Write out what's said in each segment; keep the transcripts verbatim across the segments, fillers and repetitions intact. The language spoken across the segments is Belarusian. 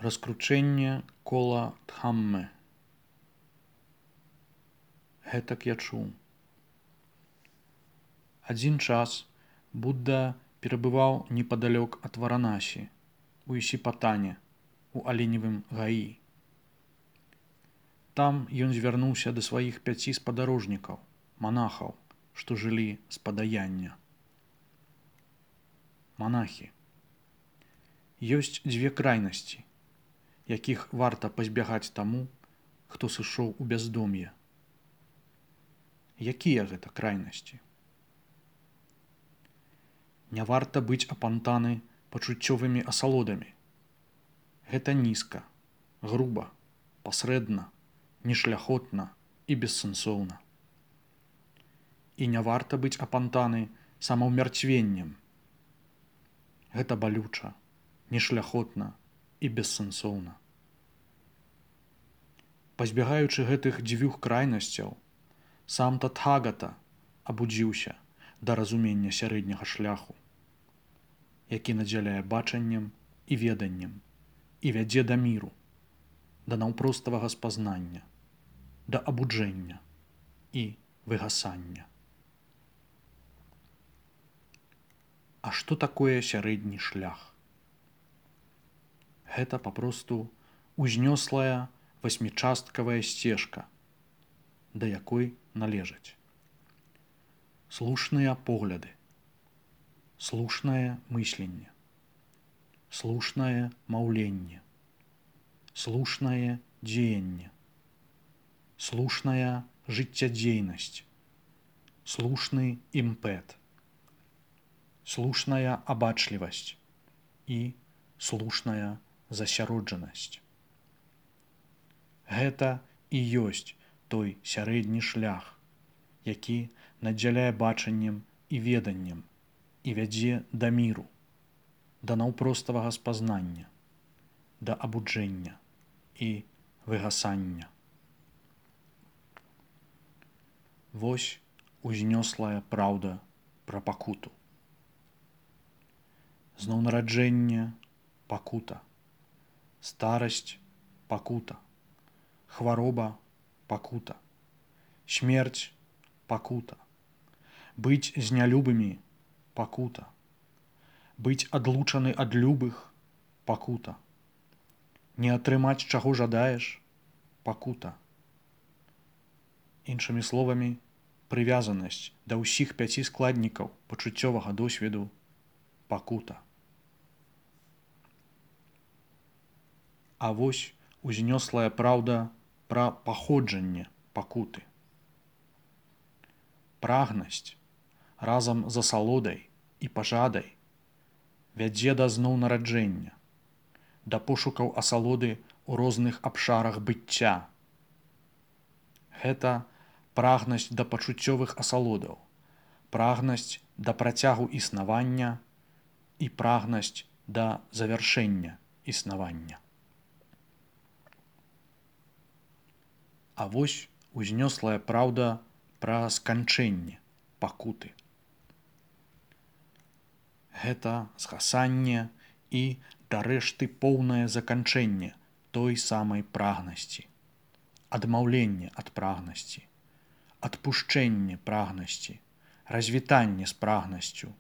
Раскручэнне кола Дхаммы. Гэтак я чуў. Адзін час Будда перабываў непадалёк ад Варанасі, у Ісіпатане, у аленевым гаі. Там ён звярнуўся да сваіх пяці спадарожнікаў, манахаў, што жылі з падаяння. Манахі. Ёсць дзве крайнасці, якіх варта пазбягаць таму, хто сышоў у бяздом'е. Якія гэта крайнасці? Не варта быць апантаны пачуццёвымі асалодамі. Гэта нізка, груба, пасрэдна, нешляхотна і бессэнсоўна. І не варта быць апантаны самаўмярцвеннем. Гэта балюча, нешляхотна і бессэнсоўна. Пазбягаючы гэтых дзвюх крайнасцяў, сам Татхагата абудзіўся да разумення сярэдняга шляху, які надзяляе бачаннем і веданнем і вядзе да міру, да наўпроставага спазнання, да абуджэння і выгасання. А што такое сярэдні шлях? Гэта папросту узнёслая васьмічасткавая сцежка, да якой належаць слушныя погляды, слушнае мысленне, слушнае маўленне, слушнае дзеянне, слушная жыццядзейнасць, слушны імпэт, слушная абачлівасць і слушная засяроджанасць. Гэта і ёсць той сярэдні шлях, які надзяляе бачаннем і веданнем і вядзе да міру, да наўпроставага спазнання, да абуджэння і выгасання. Вось узнёслая праўда пра пакуту. Зноўнараджэнне – пакута, старасць – пакута, хвароба – пакута, смерць – пакута, быць з нялюбымі – пакута, быць адлучаны ад любых – пакута, не атрымаць чаго жадаеш – пакута. Іншымі словамі, прывязанасць да ўсіх пяці складнікаў пачуццёвага досведу – пакута. А вось узнёслая праўда пра паходжанне пакуты. Прагнасць разам з асалодай і пажадай вядзе да зноўнараджэння, да пошукаў асалоды ў розных абшарах быцця. Гэта прагнасць да пачуццёвых асалодаў, прагнасць да працягу існавання і прагнасць да завяршэння існавання. А вось узнёслая праўда пра сканчэнне пакуты. Гэта згасанне і, дарэшты, поўнае заканчэнне той самай прагнасці, адмаўленне ад прагнасці, адпушчэнне прагнасці, развітанне з прагнасцю,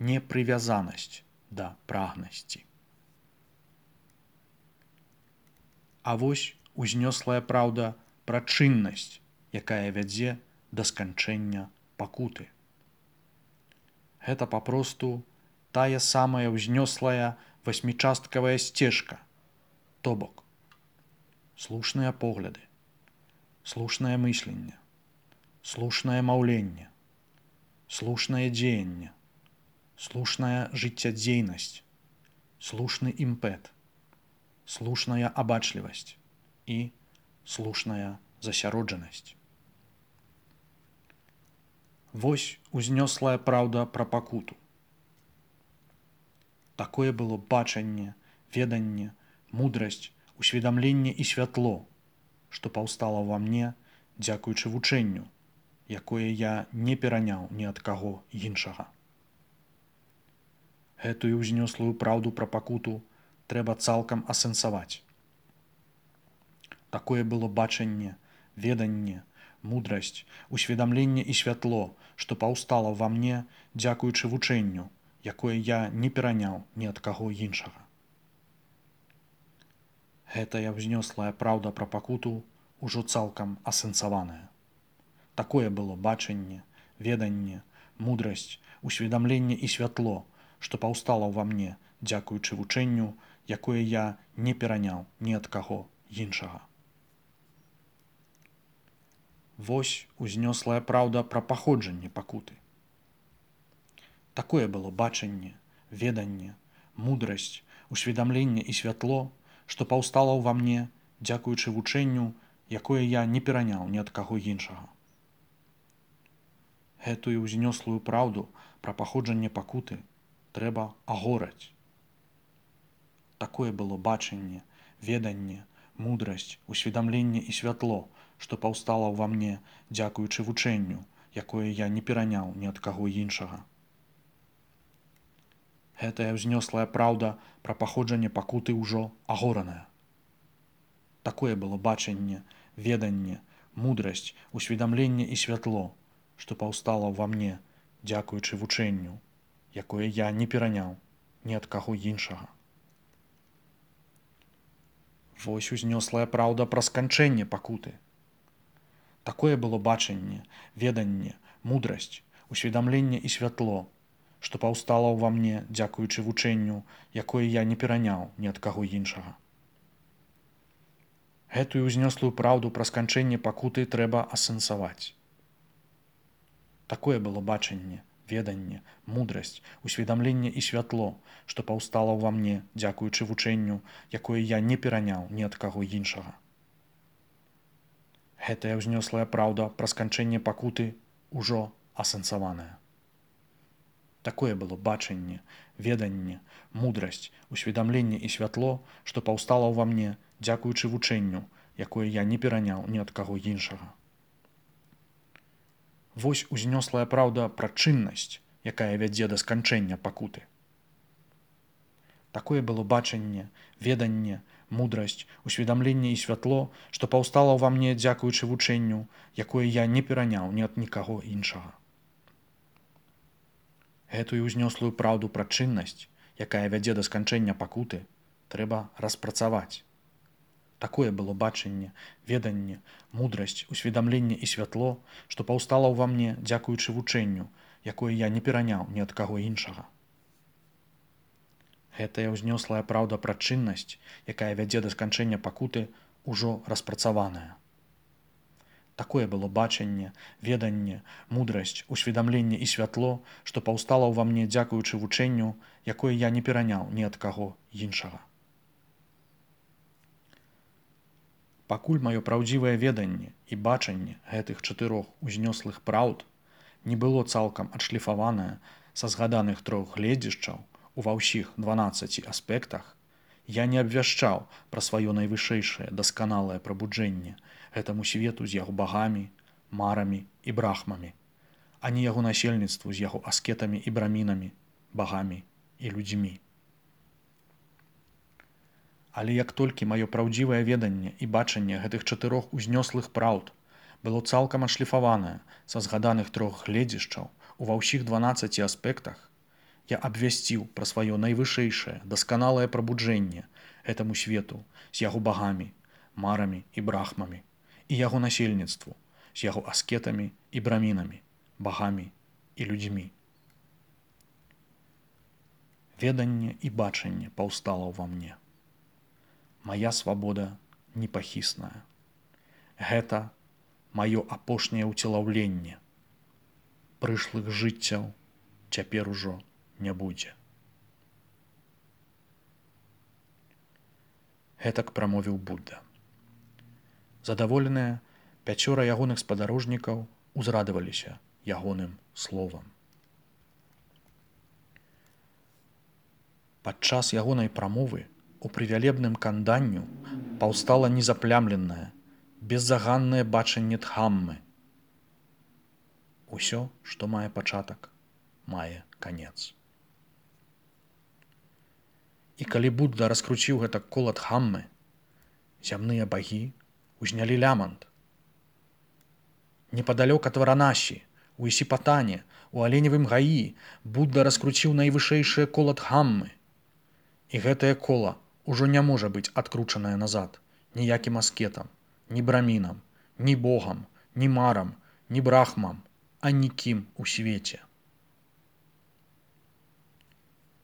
непрывязанасць да прагнасці. А вось узнёслая праўда пра чыннасць, якая вядзе да сканчэння пакуты. Гэта папросту тая самая ўзнёслая васьмічасткавая сцежка, то бок слушныя погляды, слушнае мысленне, слушнае маўленне, слушнае дзеянне, слушная жыццядзейнасць, слушны імпэт, слушная абачлівасць і слушная засяроджанасць. Вось узнёслая праўда пра пакуту. Такое было бачанне, веданне, мудрасць, усведамленне і святло, што паўстала ва мне дзякуючы вучэнню, якое я не пераняў ні ад каго іншага. Гэтую ўзнёслую праўду пра пакуту трэба цалкам асэнсаваць. Такое было бачанне, веданне, мудрасць, усведамленне і святло, што паўстала ва мне, дзякуючы вучэнню, якое я не пераняў ні ад каго іншага. Гэтая ўзнёслая праўда пра пакуту ўжо цалкам асэнсаваная. Такое было бачанне, веданне, мудрасць, усведамленне і святло, што паўстала ва мне, дзякуючы вучэнню, якое я не пераняў ні ад каго іншага. Вось узнёслая праўда пра паходжанне пакуты. Такое было бачанне, веданне, мудрасць, усведамленне і святло, што паўстала ўва мне, дзякуючы вучэнню, якое я не пераняў ні ад каго іншага. Гэтую ўзнёслую праўду пра паходжанне пакуты трэба агораць. Такое было бачанне, веданне, мудрасць, усведамленне і святло, што паўстала ўва мне, дзякуючы вучэнню, якое я не пераняў ні ад каго іншага. Гэтая ўзнёслая праўда пра паходжанне пакуты ўжо агораная. Такое было бачанне, веданне, мудрасць, усведамленне і святло, што паўстала ўва мне, дзякуючы вучэнню, якое я не пераняў ні ад каго іншага. Вось узнёслая праўда пра сканчэнне пакуты. Такое было бачанне, веданне, мудрасць, усведамленне і святло, што паўстала ўва мне, дзякуючы вучэнню, якое я не пераняў ні ад каго іншага. Гэтую ўзнёслую праўду пра сканчэнне пакуты трэба асэнсаваць. Такое было бачанне, веданне, мудрасць, усведамленне і святло, што паўстала ўва мне, дзякуючы вучэнню, якое я не пераняў ні ад каго іншага. Гэтая ўзнёслая праўда пра сканчэнне пакуты ўжо асэнсаваная. Такое было бачанне, веданне, мудрасць, усведамленне і святло, што паўстала ўва мне, дзякуючы вучэнню, якое я не пераняў ні ад каго іншага. Вось узнёслая праўда пра чыннасць, якая вядзе да сканчэння пакуты. Такое было бачанне, веданне, мудрасць, усведамленне і святло, што паўстала ўва мне, дзякуючы вучэнню, якое я не пераняў ні ад нікаго іншага. Гэтую ўзнёслую праўду пра чыннасць, якая вядзе да сканчэння пакуты, трэба распрацаваць. Такое было бачанне, веданне, мудрасць, усведамленне і святло, што паўстала ўва мне, дзякуючы вучэнню, якое я не пераняў ні ад каго іншага. Гэтая ўзнёслая праўда пра чыннасць, якая вядзе да сканчэння пакуты, ужо распрацаваная. Такое было бачанне, веданне, мудрасць, усведамленне і святло, што паўстала ўва мне, дзякуючы вучэнню, якое я не пераняў ні ад каго іншага. Пакуль маё праўдзівае веданне і бачанне гэтых чатырох узнёслых праўд не было цалкам адшліфаванае са згаданых трох гледзяшчаў ува ўсіх дванаццаці аспектах, я не абвяшчаў пра сваё найвышэйшае дасканалае прабуджэнне гэтаму свету з яго багамі, марамі і брахмамі, а не яго насельніцтву з яго аскетамі і брамінамі, багамі і людзьмі. Але як толькі маё праўдзівае веданне і бачанне гэтых чатырох узнёслых праўд было цалкам адшліфаванае са згаданых трох гледзяшчаў ува ўсіх дванаццаці аспектах, я абвясціў пра сваё найвышэйшае дасканалае прабуджэнне гэтаму свету з яго багамі, марамі і брахмамі і яго насельніцтву з яго аскетамі і брамінамі, багамі і людзьмі. Веданне і бачанне паўстала ўва мне. Мая свабода непахісная. Гэта маё апошняе ўцелаўленне. Прышлых жыццяў цяпер ужо не будзе. Гэтак прамовіў Будда. Задаволеныя пяцёра ягоных спадарожнікаў узрадаваліся ягоным словам. Падчас ягонай прамовы у прывялебным канданню паўстала незаплямленае, беззаганнае бачанне Дхаммы. Усё, што мае пачатак, мае канец. І калі Будда раскруціў гэта кола Дхаммы, зямныя багі узнялі лямант. Непадалёк ад Варанасі, у Ісіпатане, у Аленевым гаі Будда раскруціў найвышэйшае кола Дхаммы. І гэтае кола ўжо не можа быць адкручанае назад ніякім аскетам, ні брамінам, ні богам, ні марам, ні брахмам, а нікім у свеце.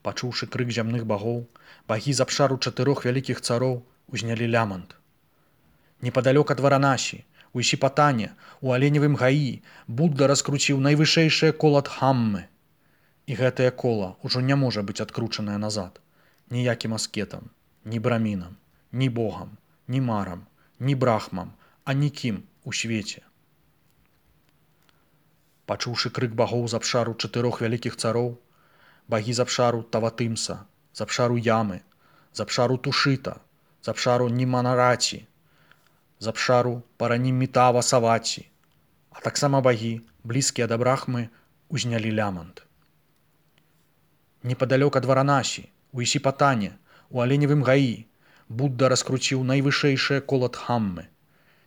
Пачуўшы крык зямных багоў, багі з абшару чатырох вялікіх цароў узнялі лямант. Непадалёк ад Варанасі, у Ісіпатане, у Аленевым гаі Будда раскруціў найвышэйшае кола Дхаммы. І гэтае кола ўжо не можа быць адкручанае назад ніякім аскетам, ні брамінам, ні богам, ні марам, ні брахмам, а нікім у свеце. Пачуўшы крык багоў з абшару чатырох вялікіх цароў, багі з абшару Таватымса, з абшару Ямы, з абшару Тушыта, з абшару Німанараці, з абшару Паранімітава Саваці, а таксама багі, блізкія да брахмы, узнялі лямант. Непадалёк ад Варанасі, у Ісіпатане, у Аленевым гаі Будда раскруціў найвышэйшае кола Дхаммы.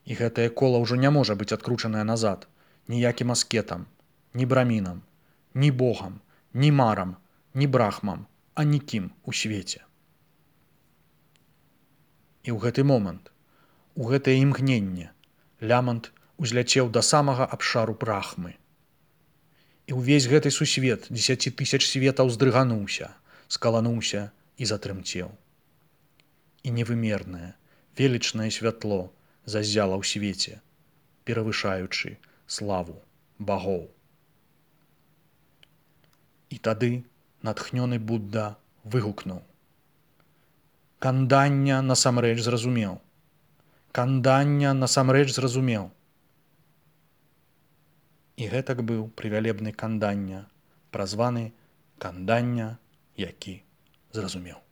І гэтае кола ўжо не можа быць адкручанае назад ніякім аскетам, ні брамінам, ні богам, ні марам, ні брахмам, а нікім у свеце. І ў гэты момант, у гэтае імгненне, лямант узляцеў да самага абшару брахмы. І ўвесь гэты сусвет дзесяці тысяч светаў здрыгануўся, скалануўся і затрымцеў. І невымернае, велічнае святло заззяла ў свеце, перавышаючы славу багоў. І тады натхнёны Будда выгукнуў: «Кандання насамрэч зразумеў! Кандання насамрэч зразумеў!» І гэтак быў прывялебны Кандання, празваны Кандання, які зразумеў.